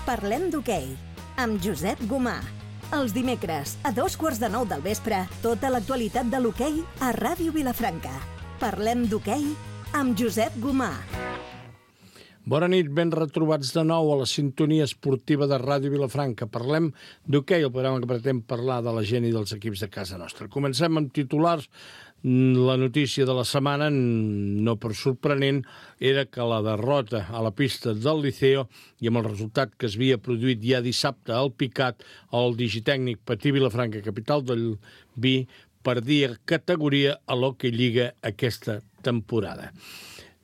Parlem d'hoquei, amb Josep Gomà. Els dimecres, a 8:45 del vespre, tota l'actualitat de l'hoquei a Ràdio Vilafranca. Parlem d'hoquei amb Josep Gomà. Bona nit, ben retrobats de nou a la sintonia esportiva de Ràdio Vilafranca. Parlem d'hoquei, el programa que pretén parlar de la gent i dels equips de casa nostra. Comencem amb titulars. La notícia de la setmana, no per sorprenent, era que la derrota a la pista del Liceo i amb el resultat que es havia produït ja dissabte al Picat, el digitècnic Patí Vilafranca, capital del vi, perdia categoria a l'Hockey Lliga aquesta temporada.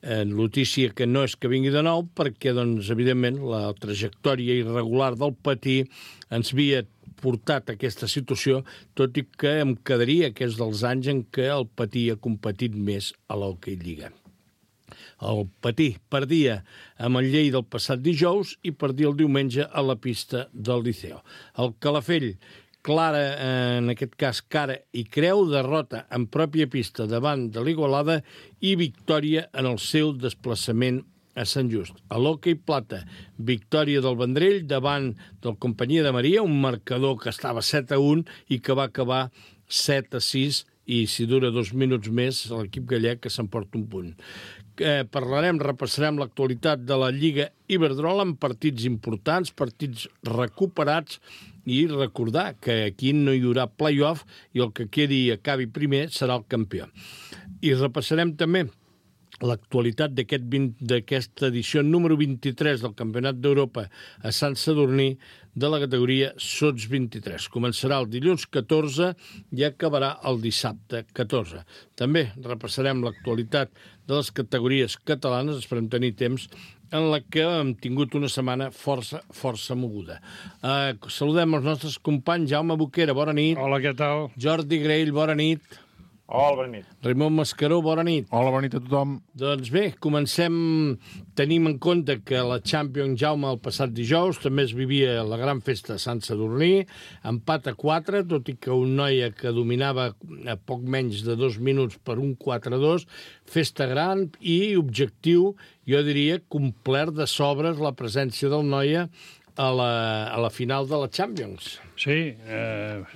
Notícia que no és que vingui de nou perquè, doncs, evidentment, la trajectòria irregular del Patí ens havia portat a aquesta situació, tot i que em quedaria que és dels anys en què el Patí ha competit més a l'Hockey Lliga. El Patí perdia amb el Lleida el passat dijous i perdia el diumenge a la pista del Liceo. El Calafell, clara, en aquest cas cara i creu, derrota en pròpia pista davant de l'Igualada i victòria en el seu desplaçament a Sant Just. A l'Hockey Plata, victòria del Vendrell davant del Companyia de Maria, un marcador que estava 7-1 i que va acabar 7-6 i si dura 2 minuts més l'equip gallec que s'emporta un punt. Repassarem l'actualitat de la Lliga Iberdrola amb partits importants, partits recuperats i recordar que aquí no hi haurà play-off i el que quedi i acabi primer serà el campió. I repassarem també l'actualitat d'aquesta edició número 23 del Campionat d'Europa a Sant Sadurní de la categoria Sots 23. Començarà el dilluns 14 i acabarà el dissabte 14. També repassarem l'actualitat de les categories catalanes, esperem tenir temps, en la que hem tingut una setmana força moguda. Saludem els nostres companys. Jaume Boquera, bona nit. Hola, què tal? Jordi Grell, bona nit. Hola, bona nit. Raimon Mascaró, bona nit. Hola, bona nit a tothom. Doncs bé, comencem. Tenim en compte que la Champions, Jaume, el passat dijous també es vivia la gran festa a Sant Sadurní, empat a 4, tot i que un Noia que dominava a poc menys de 2 minuts per un 4-2, festa gran i objectiu, jo diria, complert de sobres la presència del Noia a la final de la Champions. Sí,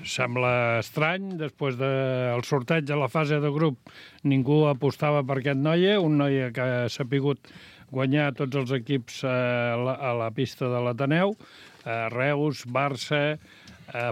sembla estrany. Després del sorteig a la fase de grup ningú apostava per aquest Noia, un Noia que ha sapigut guanyar tots els equips a la pista de l'Ateneu, Reus, Barça,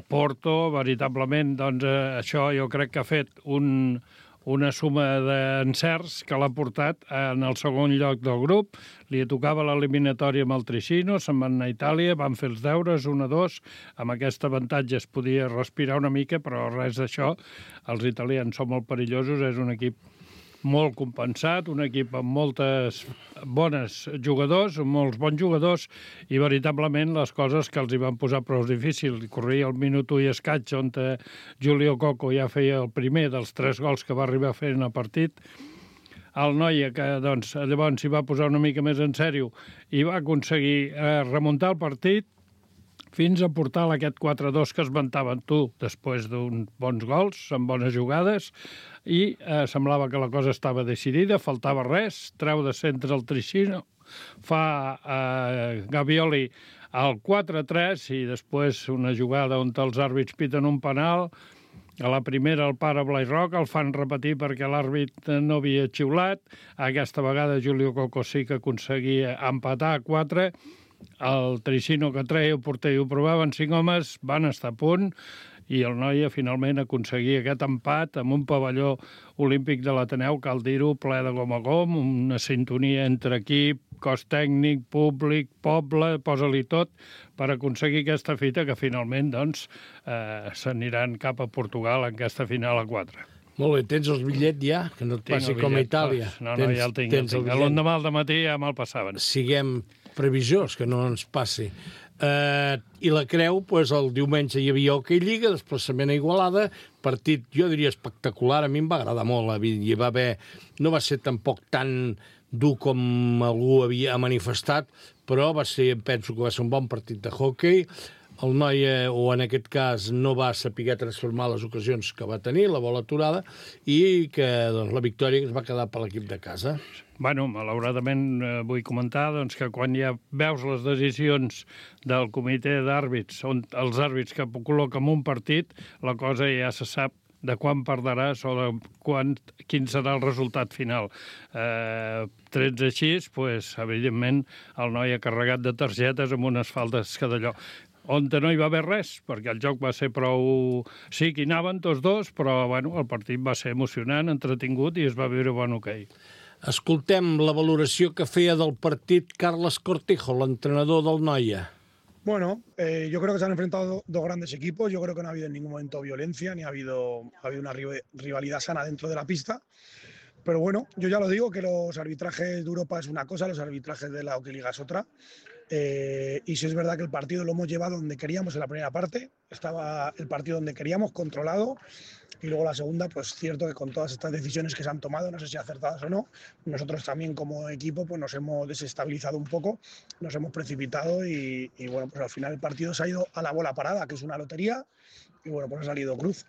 Porto, veritablement, doncs això jo crec que ha fet una suma d'encerts que l'ha portat en el segon lloc del grup. Li tocava l'eliminatòria amb el Tricino, se'n van anar a Itàlia, van fer els deures, 1-2, amb aquest avantatge es podia respirar una mica, però res d'això. Els italians són molt perillosos, és un equip molt compensat, un equip amb moltes bones jugadors, molts bons jugadors, i veritablement les coses que els hi van posar prou difícils. Corria el minut 1 i escaig, on Julio Coco ja feia el primer dels 3 gols que va arribar a fer en el partit. El Noia, que doncs, llavors s'hi va posar una mica més en sèrio i va aconseguir remuntar el partit fins a portar aquest 4-2 que esmentaven tu, després d'uns bons gols, amb bones jugades, i semblava que la cosa estava decidida, faltava res, treu de centre el Tricino, fa Gavioli al 4-3 i després una jugada on els àrbits piten un penal. A la primera el para Blai Roc, el fan repetir perquè l'àrbit no havia xiulat. Aquesta vegada Julio Coco sí que aconseguia empatar a 4. El Tricino que treia el porter i ho provaven 5 homes, van estar a punt, i el Noia finalment aconseguia aquest empat amb un pavelló olímpic de l'Ateneu, cal dir-ho, ple de gom a gom, una sintonia entre equip, cos tècnic, públic, poble, posa-li tot, per aconseguir aquesta fita que finalment doncs, s'aniran cap a Portugal en aquesta final a 4. Molt bé, tens el bitllet ja? Que no et passi com a Itàlia. No, ja el tinc. L'endemà al dematí ja me'l passaven. Siguem previsors, que no ens passi. I la creu, doncs, el diumenge hi havia Hockey Lliga, desplaçament a Igualada, partit, jo diria, espectacular, a mi em va agradar molt, hi va haver, no va ser tampoc tan dur com algú havia manifestat, però penso que va ser un bon partit de hockey. el noi, o en aquest cas, no va saber transformar les ocasions que va tenir, la bola aturada, i que doncs, la victòria es va quedar per l'equip de casa. Bueno, malauradament vull comentar doncs, que quan ja veus les decisions del comitè d'àrbits, els àrbits que col·loquen un partit, la cosa ja se sap de quan perdràs o de quin serà el resultat final. Trets així, doncs, evidentment, el noi ha carregat de targetes amb unes faltes que d'allò. On no hi va haver res, perquè el joc va ser prou... Sí, que hi anaven tots dos, però bueno, el partit va ser emocionant, entretingut i es va viure bon hoquei. Escoltem la valoració que feia del partit Carles Cortijo, l'entrenador del Noia. Bueno, yo creo que se han enfrentado dos grandes equipos. Yo creo que no ha habido en ningún momento violencia, ni ha habido una rivalidad sana dentro de la pista. Pero bueno, yo ya lo digo, que los arbitrajes de Europa es una cosa, los arbitrajes de la Hockey Liga es otra. Y sí es verdad que el partido lo hemos llevado donde queríamos en la primera parte. Estaba el partido donde queríamos, controlado. Y luego la segunda, pues cierto que con todas estas decisiones que se han tomado, no sé si acertadas o no, nosotros también como equipo pues nos hemos desestabilizado un poco, nos hemos precipitado y bueno, pues al final el partido se ha ido a la bola parada, que es una lotería, y bueno, pues ha salido cruz.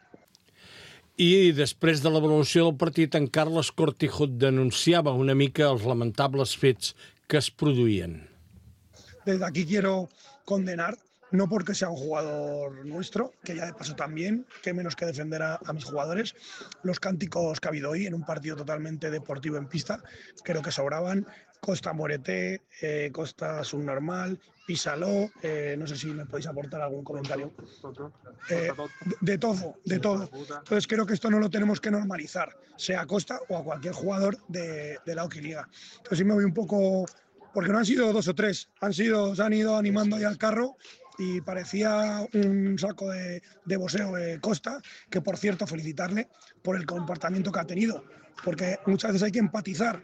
I després de l'avaluació del partit, en Carles Cortijo denunciava una mica els lamentables fets que es produïen. Desde aquí quiero condenar, no porque sea un jugador nuestro, que ya de paso también, que menos que defender a mis jugadores, los cánticos que ha habido hoy en un partido totalmente deportivo en pista, creo que sobraban. Costa Morete, Costa Subnormal, Písalo, no sé si me podéis aportar algún comentario. De todo. Entonces creo que esto no lo tenemos que normalizar, sea a Costa o a cualquier jugador de la Hockey Liga. Entonces sí me voy un poco, porque no han sido dos o tres, se han ido animando ahí al carro y parecía un saco de boxeo Costa, que por cierto felicitarle por el comportamiento que ha tenido, porque muchas veces hay que empatizar.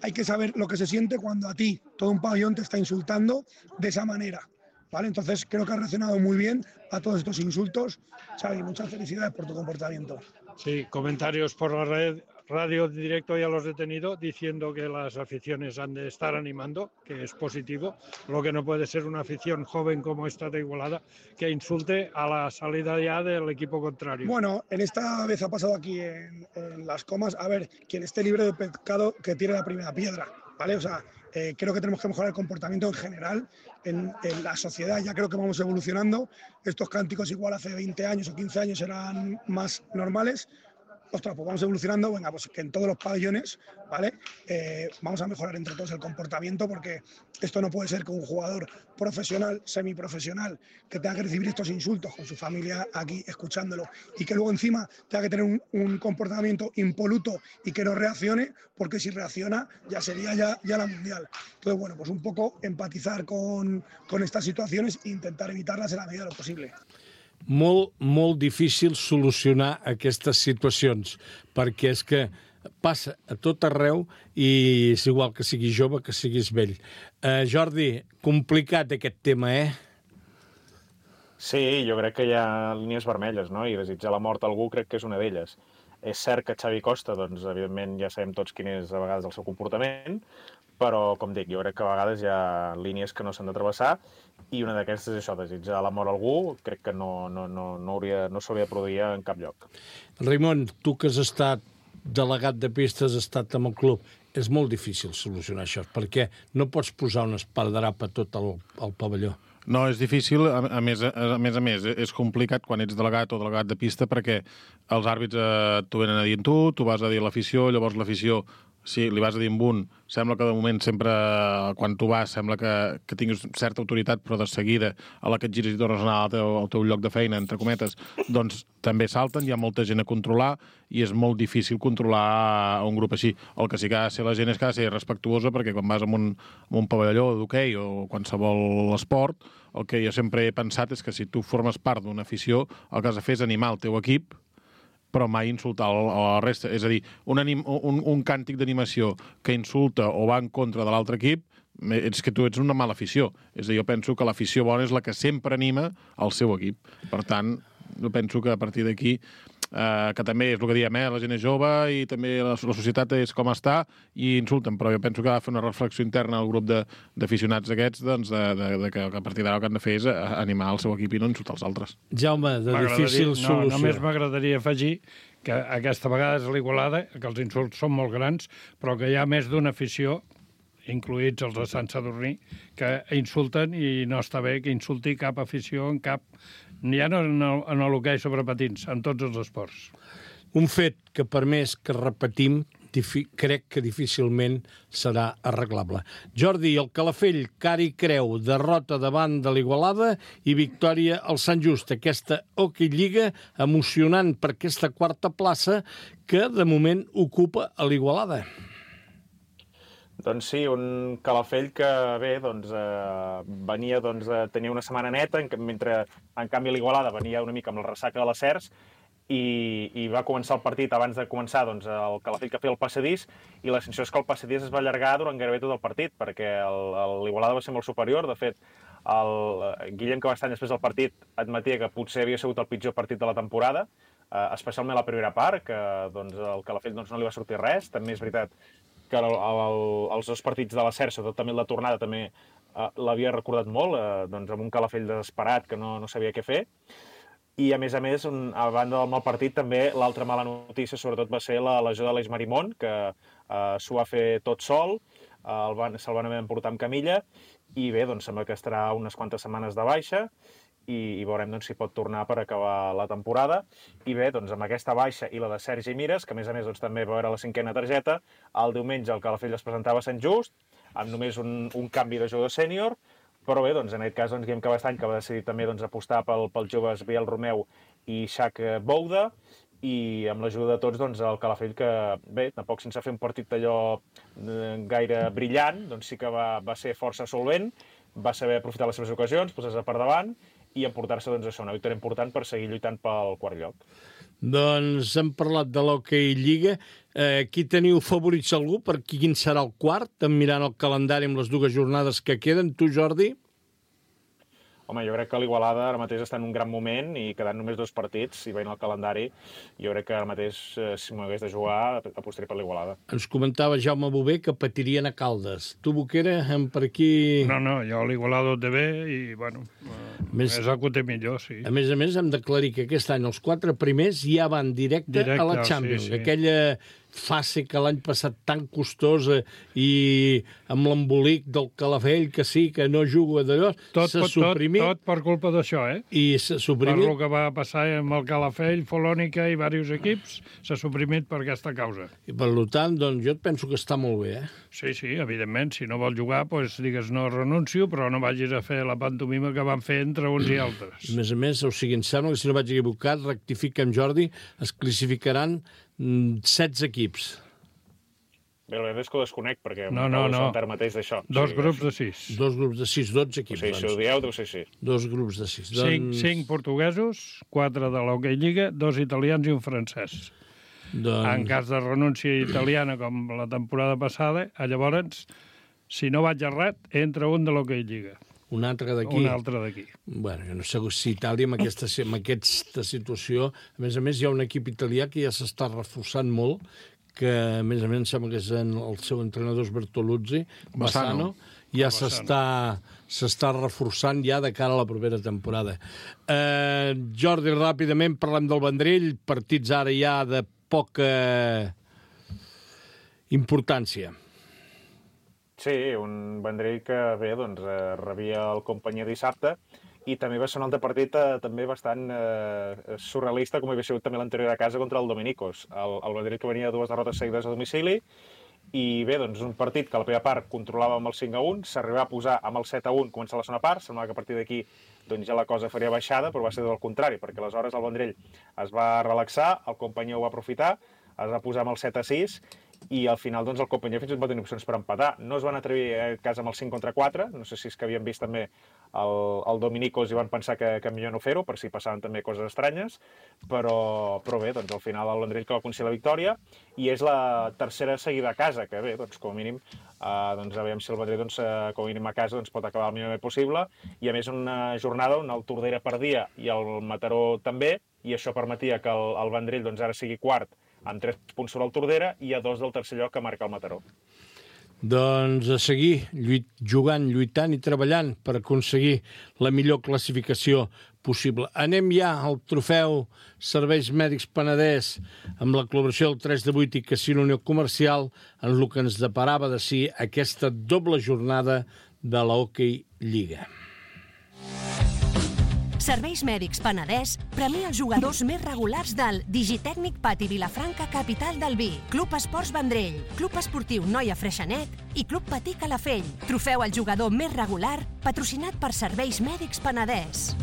Hay que saber lo que se siente cuando a ti todo un pabellón te está insultando de esa manera, ¿vale? Entonces creo que has reaccionado muy bien a todos estos insultos. Xavi, muchas felicidades por tu comportamiento. Sí, comentarios por la radio directo ya los he tenido diciendo que las aficiones han de estar animando, que es positivo. Lo que no puede ser una afición joven como esta de Igualada que insulte a la salida ya del equipo contrario. Bueno, en esta vez ha pasado aquí en Las Comas, a ver, quien esté libre de pecado que tire la primera piedra, ¿vale? O sea, creo que tenemos que mejorar el comportamiento en general en la sociedad. Ya creo que vamos evolucionando. Estos cánticos igual hace 20 años o 15 años eran más normales. Ostras, pues vamos evolucionando, venga, pues que en todos los pabellones, ¿vale? Vamos a mejorar entre todos el comportamiento, porque esto no puede ser que un jugador profesional, semiprofesional, que tenga que recibir estos insultos con su familia aquí escuchándolo y que luego encima tenga que tener un comportamiento impoluto y que no reaccione, porque si reacciona ya sería ya la mundial. Entonces, bueno, pues un poco empatizar con estas situaciones e intentar evitarlas en la medida de lo posible. Molt difícil solucionar aquestes situacions, perquè és que passa a tot arreu i és igual que siguis jove que siguis vell. Jordi, complicat aquest tema, Sí, jo crec que hi ha línies vermelles, no? I desitjar la mort a algú crec que és una d'elles. És cert que Xavi Costa, doncs, evidentment, ja sabem tots quin és a vegades el seu comportament, però, com dic, jo crec que a vegades hi ha línies que no s'han de travessar i una d'aquestes és això, desitjar la mort a algú, crec que no s'hauria de produir en cap lloc. Raimon, tu que has estat delegat de pistes, has estat amb el club, és molt difícil solucionar això, perquè no pots posar un esparadrap a tot el pavelló. No, és difícil, a més, és complicat quan ets delegat o delegat de pista perquè els àrbits t'ho venen a dir tu vas a dir a l'afició, llavors l'afició, si li vas a dir amb un, sembla que de moment sempre, quan tu vas, sembla que tinguis certa autoritat, però de seguida, a la que et gires i tornes a anar al teu lloc de feina, entre cometes, doncs també salten, hi ha molta gent a controlar i és molt difícil controlar un grup així. El que sí que ha de ser la gent és que ha de ser respectuosa, perquè quan vas en un pavelló d'hoquei o qualsevol esport, el que jo sempre he pensat és que si tu formes part d'una afició, el que has de fer és animar el teu equip, però mai insultar la resta. És a dir, un càntic d'animació que insulta o va en contra de l'altre equip, és que tu ets una mala afició. És a dir, jo penso que l'afició bona és la que sempre anima el seu equip. Per tant, jo penso que a partir d'aquí que també és el que diem, la gent és jove i també la societat és com està i insulten, però jo penso que ha de fer una reflexió interna al grup d'aficionats aquests, doncs, que a partir d'ara el que han de fer és animar el seu equip i no insultar els altres. Jaume, de difícil solució. Només m'agradaria afegir que aquesta vegada és l'Igualada, que els insults són molt grans, però que hi ha més d'una afició, incluïts els de Sant Sadurní, que insulten i no està bé que insulti cap afició en cap... Ja no en l'hoquei sobre patins, en tots els esports. Un fet que, per més que repetim, crec que difícilment serà arreglable. Jordi, el Calafell, cara i creu, derrota davant de l'Igualada i victòria al Sant Just. Aquesta Hockey Lliga emocionant per aquesta quarta plaça que, de moment, ocupa a l'Igualada. Doncs sí, un Calafell que, bé, venia a tenir una setmana neta, mentre, en canvi, l'Igualada venia una mica amb la ressaca de les Cercs i va començar el partit abans de començar el Calafell que feia el passadís i la sensació és que el passadís es va allargar durant gairebé tot el partit perquè l'Igualada va ser molt superior. De fet, el Guillem Cabestany després del partit admetia que potser havia sigut el pitjor partit de la temporada, especialment la primera part, que el Calafell no li va sortir res. També és veritat que els dos partits de la Cercs, sobretot també la tornada, també l'havia recordat molt, amb un Calafell desesperat que no sabia què fer. I, a més, a banda del mal partit, també l'altra mala notícia, sobretot, va ser la lesió de l'Eix Marimón, que s'ho va fer tot sol, se'l van haver d'emportar amb camilla, i bé, sembla que estarà unes quantes setmanes de baixa, i veurem si pot tornar per acabar la temporada. I bé, amb aquesta baixa i la de Sergi Mires, que a més també va veure la 5a targeta, el diumenge el Calafell es presentava a Sant Just, amb només un canvi de jugador sènior, però bé, en aquest cas, Guillem Cabestany, que va decidir també apostar pels joves Biel Romeu i Xac Bouda, i amb l'ajuda de tots, el Calafell, que bé, tampoc sense fer un partit d'allò gaire brillant, sí que va ser força solvent, va saber aprofitar les seves ocasions, posar-se per davant, i emportar-se una victòria important per seguir lluitant pel quart lloc. Doncs hem parlat de l'Hockey Lliga. Qui teniu favorits algú? Per quin serà el quart? Mirant el calendari amb les dues jornades que queden. Tu, Jordi? Home, jo crec que l'Igualada ara mateix està en un gran moment i quedant només 2 partits, i veient el calendari, jo crec que ara mateix, si m'ho hagués de jugar, apostaria per l'Igualada. Ens comentava Jaume Bové que patirien a Caldes. Tu, Boquera, per aquí... No, jo l'Igualada ho té bé i, bueno, és el que ho té millor, sí. A més, hem d'aclarir que aquest any els 4 primers ja van directe a la Champions. Sí. Aquella fase que l'any passat tan costosa i amb l'embolic del Calafell, que sí, que no juga d'allò, s'ha suprimit. Tot per culpa d'això, I s'ha suprimit. Per el que va passar amb el Calafell, Folònica i diversos equips, s'ha suprimit per aquesta causa. I per tant, jo et penso que està molt bé, Sí, evidentment, si no vol jugar, doncs digues no renuncio, però no vagis a fer la pantomima que van fer entre uns i altres. A més, o sigui, em sembla que si no vaig equivocat, rectifica amb Jordi, es classificaran 16 equips. Bé, la veritat és que ho desconec, perquè no. mateix d'això. Dos grups de 6. 2 grups de 6, 12 equips. Si ho dieu, deu ser així. 2 grups de 6. 5 portuguesos, 4 de l'Hockey Lliga, 2 italians i un francès. En cas de renúncia italiana, com la temporada passada, llavors, si no vaig errat, entra un de l'Hockey Lliga. Un altre d'aquí. Un altre d'aquí. Bueno, jo no sé si Itàlia, amb aquesta situació... A més, hi ha un equip italià que ja s'està reforçant molt, que, a més, em sembla que és el seu entrenador és Bertoluzzi, Bassano, ja s'està reforçant ja de cara a la propera temporada. Jordi, ràpidament, parlem del Vendrell, partits ara ja de poca importància. Sí, un Vendrell que bé, rebia el Companyia dissabte i també va ser un altre partit també bastant surrealista, com havia sigut també l'anterior a casa contra el Dominicos. El Vendrell que venia de 2 derrotes seguides a domicili i bé, un partit que a la primera part controlava amb el 5-1, s'arribava a posar amb el 7-1 començar la segona part, semblava que a partir d'aquí ja la cosa faria baixada, però va ser del contrari, perquè aleshores el Vendrell es va relaxar, el Companyia ho va aprofitar, es va posar amb el 7-6 i al final el Companyia fins i tot va tenir opcions per empatar. No es van atrevir a casa amb el 5-4, no sé si és que havien vist també el Dominicos i van pensar que millor no fer-ho, per si passaven també coses estranyes, però bé, al final el Vendrell que va aconseguir la victòria i és la tercera seguida a casa, que bé, com a mínim, aviam si el Vendrell com a mínim a casa pot acabar el millor possible, i a més una jornada on el Tordera perdia i el Mataró també, i això permetia que el Vendrell doncs, ara sigui quart amb 3 punts sobre el Tordera i a 2 del tercer lloc que marca el Mataró. Doncs a seguir jugant, lluitant i treballant per aconseguir la millor classificació possible. Anem ja al trofeu Serveis Mèdics Penedès amb la col·laboració del 3 de 8 i Casino Unió Comercial en el que ens deparava de si aquesta doble jornada de la Hockey Lliga. Serveis Mèdics Penedès premia els jugadors més regulars del Digitècnic Pati Vilafranca, capital del vi, Club Esports Vendrell, Club Esportiu Noia Freixenet i Club Patí Calafell. Trofeu al jugador més regular, patrocinat per Serveis Mèdics Penedès.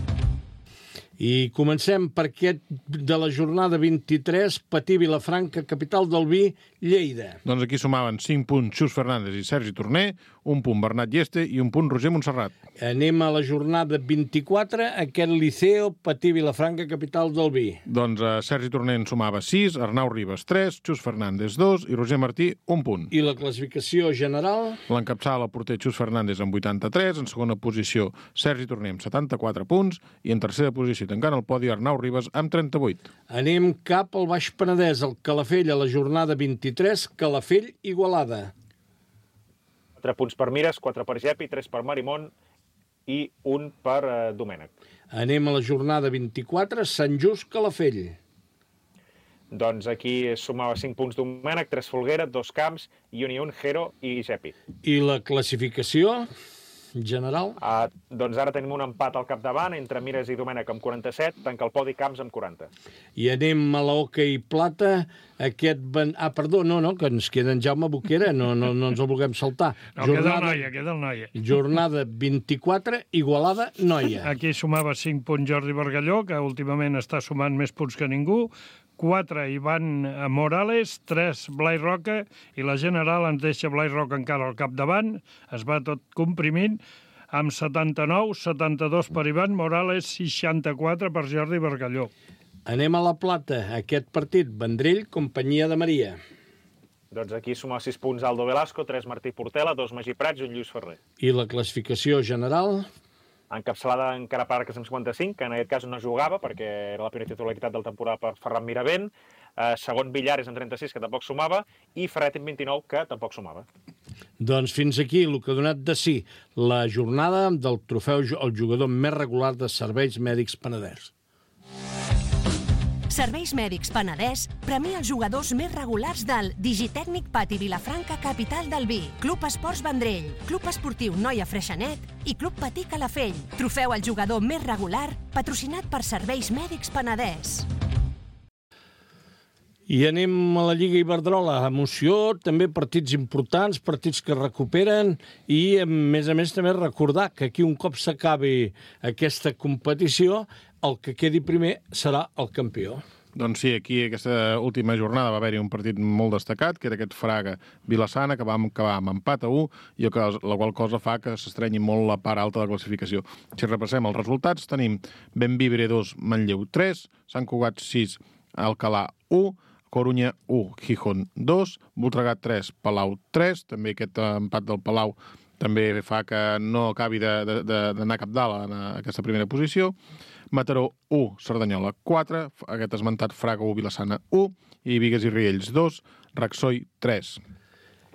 I comencem per aquest de la jornada 23, Patí Vilafranca, capital del vi, Lleida. Doncs aquí sumaven 5 punts Xus Fernández i Sergi Torner, 1 punt Bernat Lleste i 1 punt Roger Montserrat. Anem a la jornada 24, aquest Liceo, Patí Vilafranca, capital del vi. Doncs Sergi Torner en sumava 6, Arnau Ribas 3, Xus Fernández 2 i Roger Martí 1 punt. I la classificació general? L'encapçala el porter Xus Fernández amb 83, en segona posició Sergi Torner amb 74 punts i en tercera posició tancant el podi Arnau Ribas amb 38. Anem cap al Baix Penedès, al Calafell, a la jornada 23, Calafell-Igualada. 4 punts per Mires, 4 per Gepi, 3 per Marimón i 1 per Domènec. Anem a la jornada 24, Sant Just, Calafell. Doncs aquí sumava 5 punts Domènec, 3 Folguera, 2 Camps i un Jero i Gepi. I la classificació general? Doncs ara tenim un empat al capdavant entre Mires i Domènec amb 47, tanca el podi Camps amb 40. I anem a la Hockey Plata, aquest... perdó, no, que ens queda en Jaume Boquera, no ens el vulguem saltar. No, queda el Noia. Jornada 24, Igualada, Noia. Aquí sumava 5 punts Jordi Bargalló, que últimament està sumant més punts que ningú, 4 Ivan Morales, 3 Blai Roca, i la general ens deixa Blai Roca encara al capdavant, es va tot comprimint, amb 79, 72 per Ivan Morales, 64 per Jordi Bargalló. Anem a la Plata, aquest partit, Vendrell, Companyia de Maria. Doncs aquí suma 6 punts Aldo Velasco, 3 Martí Portela, 2 Magí Prats i un Lluís Ferrer. I la classificació general? Encapçalada encara per Arques amb 55, que en aquest cas no jugava perquè era la primera titularitat del temporada per Ferran Miravent, segon Villares amb 36, que tampoc sumava, i Ferret amb 29, que tampoc sumava. Doncs fins aquí el que ha donat de si la jornada del trofeu al jugador més regular de Serveis Mèdics Penedès. Serveis Mèdics Penedès premia els jugadors més regulars del Digitècnic Pati Vilafranca, capital del vi, Club Esports Vendrell, Club Esportiu Noia Freixenet i Club Patí Calafell. Trofeu al jugador més regular, patrocinat per Serveis Mèdics Penedès. I anem a la Lliga Iberdrola. Emoció, també partits importants, partits que recuperen i, a més també recordar que aquí un cop s'acabi aquesta competició, el que quedi primer serà el campió. Doncs sí, aquí aquesta última jornada va haver-hi un partit molt destacat, que era aquest Fraga-Vilassana, que va acabar amb empat a 1, i la qual cosa fa que s'estrenyi molt la part alta de la classificació. Si repassem els resultats, tenim Bembibre 2, Manlleu 3, Sant Cugat 6, Alcalà 1, Corunya 1, Gijón 2, Voltregà 3, Palau 3, també aquest empat del Palau també fa que no acabi d'anar cap dalt en aquesta primera posició. Mataró 1, Cerdanyola 4, aquest esmentat Fraga 1, Vilassana 1, i Bigues i Riells 2, Raxoi 3.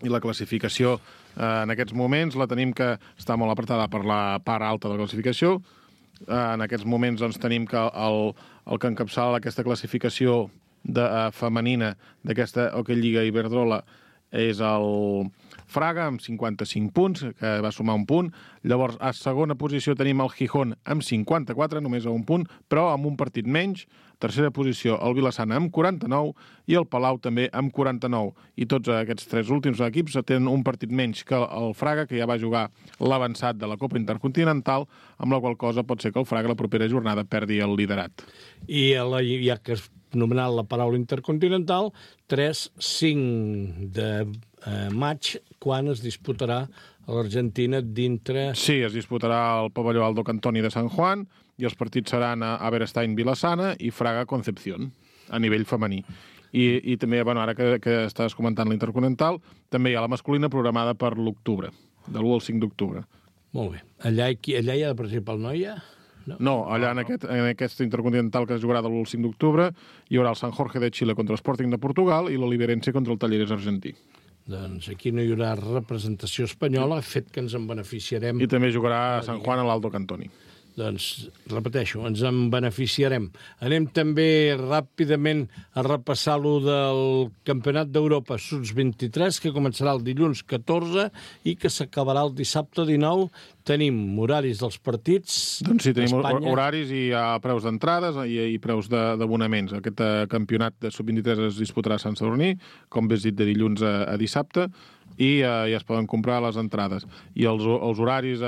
I la classificació en aquests moments la tenim que està molt apretada per la part alta de la classificació. En aquests moments doncs, tenim que el que encapçala aquesta classificació femenina d'aquesta Hockey Lliga Iberdrola és el Fraga, amb 55 punts, que va sumar un punt. Llavors, a segona posició tenim el Gijón amb 54, només a un punt, però amb un partit menys. Tercera posició, el Vilassana amb 49 i el Palau també amb 49. I tots aquests 3 últims equips tenen un partit menys que el Fraga, que ja va jugar l'avançat de la Copa Intercontinental, amb la qual cosa pot ser que el Fraga la propera jornada perdi el liderat. I ja que has nomenat la paraula intercontinental, 3-5 de maig, quan es disputarà a l'Argentina dintre... Sí, es disputarà al pavelló Aldo Cantoni de San Juan i els partits seran a Aberestein-Vilassana i Fraga-Concepción, a nivell femení. I també, ara que estàs comentant la intercontinental, també hi ha la masculina programada per l'octubre, de l'1 al 5 d'octubre. Molt bé. Allà hi ha de participar el Noia? No, allà en aquest intercontinental que es jugarà del 5 d'octubre hi haurà el San Jorge de Xile contra l'Sporting de Portugal i l'Oliverense contra el Talleres argentí. Doncs aquí no hi haurà representació espanyola, fet que ens en beneficiarem. I també jugarà a San Juan a l'Aldo Cantoni. Doncs, repeteixo, ens en beneficiarem. Anem també ràpidament a repassar lo del Campionat d'Europa Sub-23, que començarà el dilluns 14 i que s'acabarà el dissabte 19. Tenim horaris dels partits. Doncs sí, tenim horaris i hi ha preus d'entrades i preus d'abonaments. Aquest campionat de Sub-23 es disputarà a Sant Sadurní, com bé has dit, de dilluns a dissabte, i ja es poden comprar les entrades. I els horaris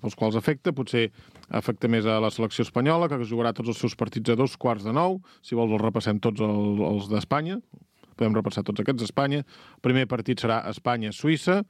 pels quals afecta més a la selecció espanyola, que jugarà tots els seus partits a 8:45. Si vols els repassem tots els d'Espanya. Podem repassar tots aquests d'Espanya. El primer partit serà Espanya-Suïssa,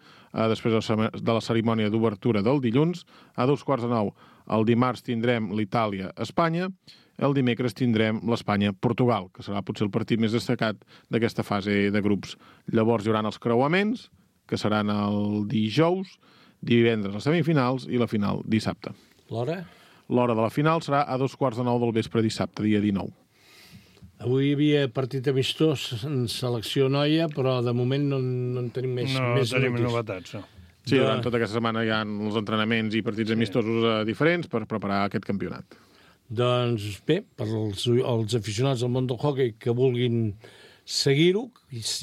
després de la cerimònia d'obertura del dilluns. A 8:45 el dimarts tindrem l'Itàlia-Espanya. El dimecres tindrem l'Espanya-Portugal, que serà potser el partit més destacat d'aquesta fase de grups. Llavors hi haurà els creuaments, que seran el dijous, divendres les semifinals i la final dissabte. L'hora? L'hora de la final serà a 8:45 del vespre dissabte, dia 19. Avui hi havia partit amistós en selecció noia, però de moment no en tenim més notícies. No tenim novetats, no. Sí, durant tota aquesta setmana hi ha els entrenaments i partits amistosos diferents per preparar aquest campionat. Doncs bé, per als aficionats del món del hoquei que vulguin seguir-ho,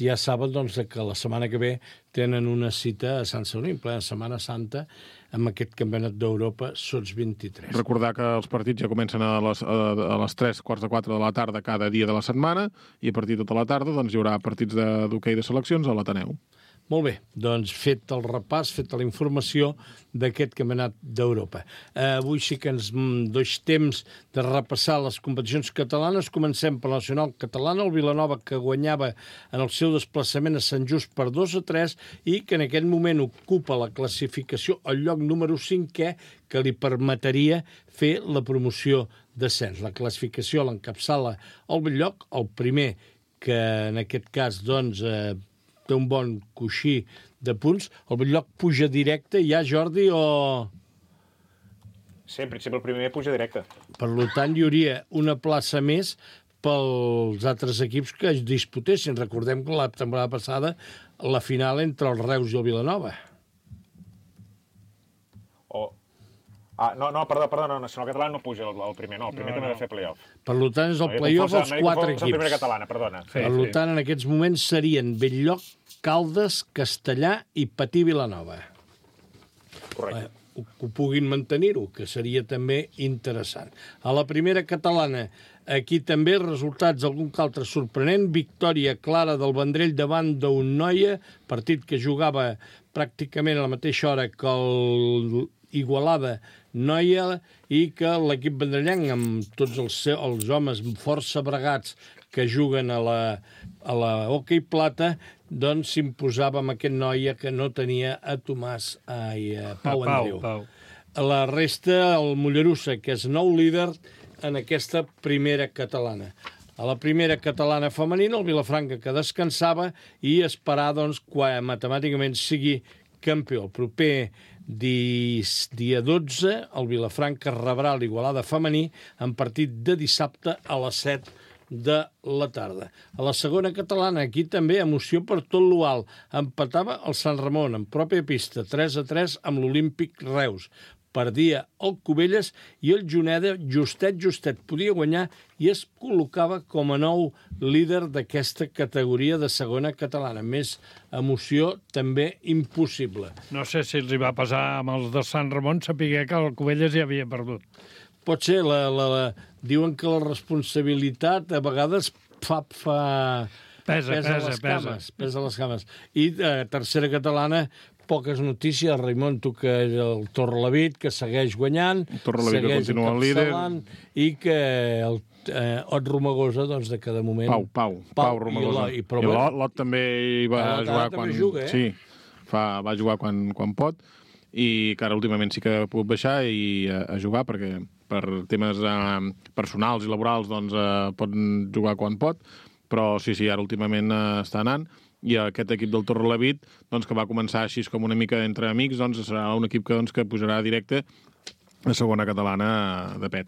ja saben doncs, que la setmana que ve tenen una cita a Sant Sadurní, en plena Setmana Santa, amb aquest Campionat d'Europa Sub-23. Recordar que els partits ja comencen a les 3:45 de la tarda cada dia de la setmana i a partir de tota la tarda doncs, hi haurà partits d'hoquei de seleccions a l'Ateneu. Molt bé, doncs fet el repàs, feta la informació d'aquest Campionat d'Europa. Avui sí que ens doix temps de repassar les competicions catalanes. Comencem per la nacional catalana, el Vilanova, que guanyava en el seu desplaçament a Sant Just per 2-3 i que en aquest moment ocupa la classificació al lloc número 5è, que li permetria fer la promoció d'ascens. La classificació l'encapçala el Bell-lloc, el primer, que en aquest cas doncs, té un bon coixí de punts. El Bell-lloc puja directe ja, Jordi, o...? Sí, en principi el primer puja directe. Per tant, hi hauria una plaça més pels altres equips que es disputessin. Recordem que la temporada passada la final entre el Reus i el Vilanova. Perdó, no, Nacional Catalana no puja el primer, no, el primer també ha de fer play-off. Per tant, és el play-off als 4 equips. La primera catalana, perdona. Per tant, en aquests moments serien Bell-lloc, Caldes, Castellà i Patí Vilanova. Correcte. Que puguin mantenir-ho, que seria també interessant. A la primera catalana, aquí també resultats algun que altre sorprenent. Victòria clara del Vendrell davant d'un Noia, partit que jugava pràcticament a la mateixa hora que el Igualada Noia i que l'equip vendrellenc, amb tots els homes força bregats que juguen a la hoquei plata, doncs s'imposava amb aquest Noia que no tenia a Pau Andreu. A la resta, el Mollerussa, que és nou líder en aquesta primera catalana. A la primera catalana femenina, el Vilafranca, que descansava, i esperar doncs, que matemàticament sigui campió. El proper dia 12, el Vilafranca rebrà l'Igualada femení en partit de dissabte a les 7 de la tarda. A la segona catalana, aquí també emoció per tot l'Ual. Empatava el Sant Ramon en pròpia pista, 3-3 amb l'Olímpic Reus. Perdia el Cubelles i el Juneda justet podia guanyar i es col·locava com a nou líder d'aquesta categoria de segona catalana. Més emoció també impossible. No sé si els hi va passar amb els de Sant Ramon saber que el Cubelles ja havia perdut. Pot ser, diuen que la responsabilitat a vegades pesa les cames. I tercera catalana, poques notícies. Raimon, tu que el Torrelavit, que segueix guanyant, el Torrelavit que continua el líder, i que el Ot Romagosa, doncs, de cada moment... Pau Romagosa. I l'Ot també hi va jugar quan... Sí, va jugar quan pot, i que ara últimament sí que ha pogut baixar i a jugar, perquè per temes personals i laborals doncs pot jugar quan pot, però sí, ara últimament està anant. I aquest equip del Torrelavit, doncs, que va començar així com una mica entre amics, doncs, serà un equip que pujarà directe la segona catalana de pet.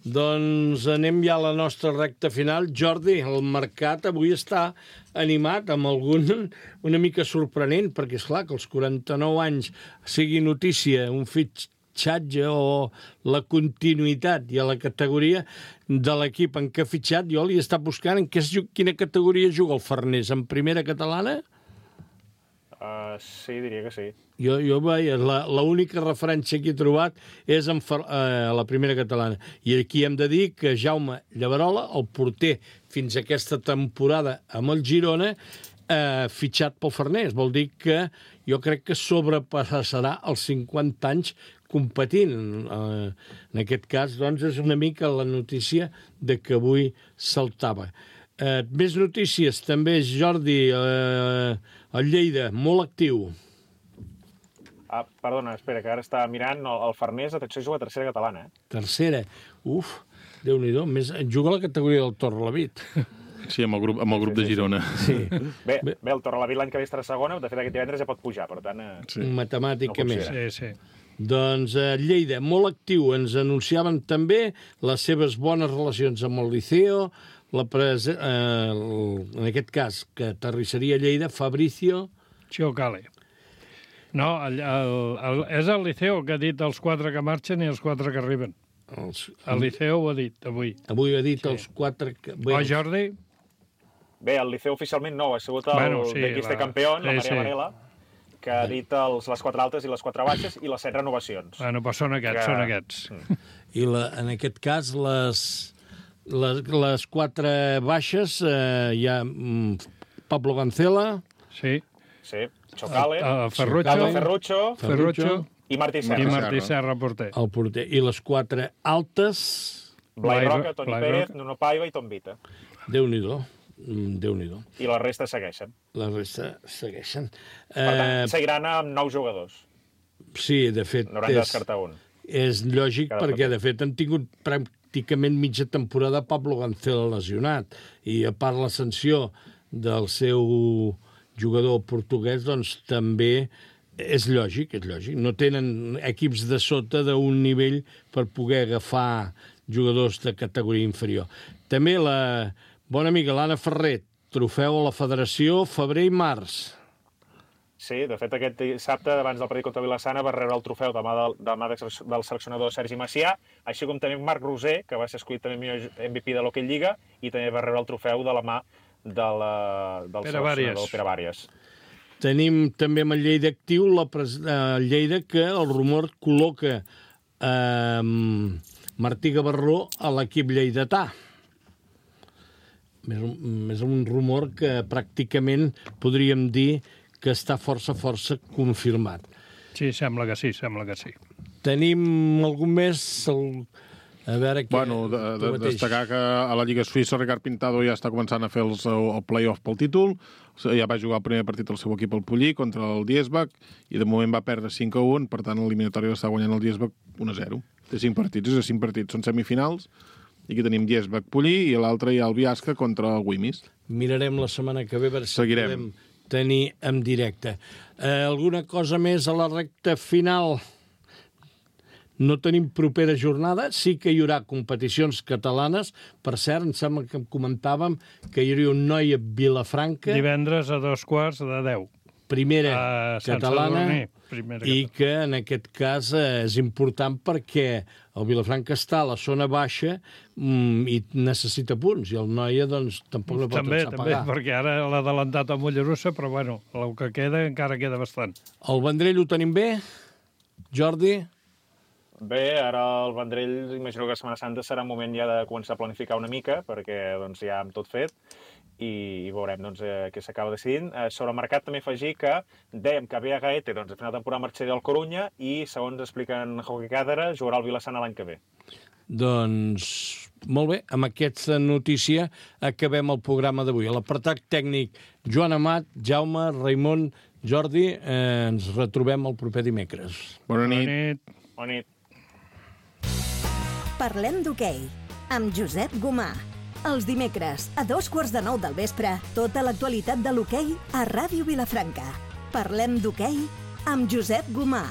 Doncs anem ja a la nostra recta final. Jordi, el mercat avui està animat amb algun una mica sorprenent, perquè és clar que als 49 anys sigui notícia un fitxatge o la continuïtat i a la categoria de l'equip en què ha fitxat. Jo li està buscant en quina categoria juga el Farners, en primera catalana? Sí, diria que sí. Jo veia, l'única referència que he trobat és a la primera catalana. I aquí hem de dir que Jaume Llaverola, el porter fins a aquesta temporada amb el Girona, fitxat pel Farners. Vol dir que jo crec que sobrepassarà els 50 anys competint. En aquest cas, doncs, és una mica la notícia de que avui saltava. Més notícies, també, Jordi, el Lleida, molt actiu. Perdona, espera, que ara estava mirant. El Farners, atenció, juga a tercera catalana. Tercera. Déu-n'hi-do. Juga a la categoria del Torrelavit. Sí, amb el grup de Girona. Sí. Bé, el Torrelavit l'any que ve estarà segona, de fet aquest divendres ja pot pujar, per tant... Matemàticament. Sí. Doncs Lleida, molt actiu. Ens anunciaven també les seves bones relacions amb el Liceo, en aquest cas, que aterrissaria a Lleida, Fabricio Chiocale. No, és el Liceo que ha dit els 4 que marxen i els 4 que arriben. El Liceo ho ha dit avui. Avui ha dit els 4 que... Jordi? Bé, el Liceo oficialment no, ha sigut el Bequiste campió, la Maria Varela, que ha dit les 4 altes i les 4 baixes i les 7 renovacions. Bueno, però són aquests. I en aquest cas, les 4 baixes, hi ha Pablo Gancela. Sí. Chocale. Ferrucho. I Martí Serra, porter. El porter. I les 4 altes... Blai Roca, Toni Pérez, Nuno Paiva i Tom Vita. Déu-n'hi-do. I la resta segueixen. Per tant, seguiran amb 9 jugadors. Sí, de fet... N'hauran de descartar un. És lògic perquè, de fet, han tingut pràcticament mitja temporada Pablo Gancela lesionat. I a part la sanció del seu jugador portuguès, doncs també és lògic. No tenen equips de sota d'un nivell per poder agafar jugadors de categoria inferior. També la bona amiga l'Anna Ferret, trofeu a la federació febrer i març. Sí, de fet, aquest dissabte, abans del partit contra Vilassana, va rebre el trofeu de mà del seleccionador Sergi Macià, així com també Marc Roser, que va ser escollit també millor MVP de l'Hockey Lliga, i també va rebre el trofeu de la mà del seleccionador Pere Bàries. Tenim també amb el Lleida actiu, el Lleida, que el rumor col·loca Martí Gavarró a l'equip lleidatà. És un rumor que pràcticament podríem dir que està força confirmat. Sí, sembla que sí. Tenim algun més? A veure què... Destacar que a la Lliga Suïssa Ricard Pintado ja està començant a fer el play-off pel títol. Ja va jugar el primer partit del seu equip al Pollí contra el Diesbach i de moment va perdre 5-1, per tant l'eliminatori està guanyant el Diesbach 1-0. Té 5 partits, són semifinals. I aquí tenim Diesbach-Pollí i l'altre hi ha el Biasca contra el Wimis. Mirarem la setmana que ve, si podem tenir en directe. Alguna cosa més a la recta final? No tenim propera jornada, sí que hi haurà competicions catalanes. Per cert, em sembla que comentàvem que hi hauria un noi a Vilafranca. Divendres a 2:15. Primera catalana, i que en aquest cas és important perquè el Vilafranca està a la zona baixa i necessita punts, i el Noia doncs tampoc no pot pagar. També, perquè ara l'ha adelantat a Mollerussa, però bueno, el que queda encara queda bastant. El Vendrell ho tenim bé, Jordi? Bé, ara el Vendrell, imagino que a Setmana Santa serà un moment ja de començar a planificar una mica, perquè doncs, ja hem tot fet, i veurem doncs, què s'acaba decidint. Sobre el mercat també afegir que dèiem que Bea Gaete doncs, a final de temporada marxaria al Corunya i, segons expliquen Hockey Càdera, jugarà al Vilassana l'any que ve. Doncs, molt bé, amb aquesta notícia acabem el programa d'avui. A l'apartat tècnic, Joan Amat, Jaume, Raimon, Jordi, ens retrobem el proper dimecres. Bona nit. Bona nit. Parlem d'hoquei, amb Josep Gomà. Els dimecres, a 8:15 del vespre, tota l'actualitat de l'hoquei a Ràdio Vilafranca. Parlem d'hoquei amb Josep Gomà.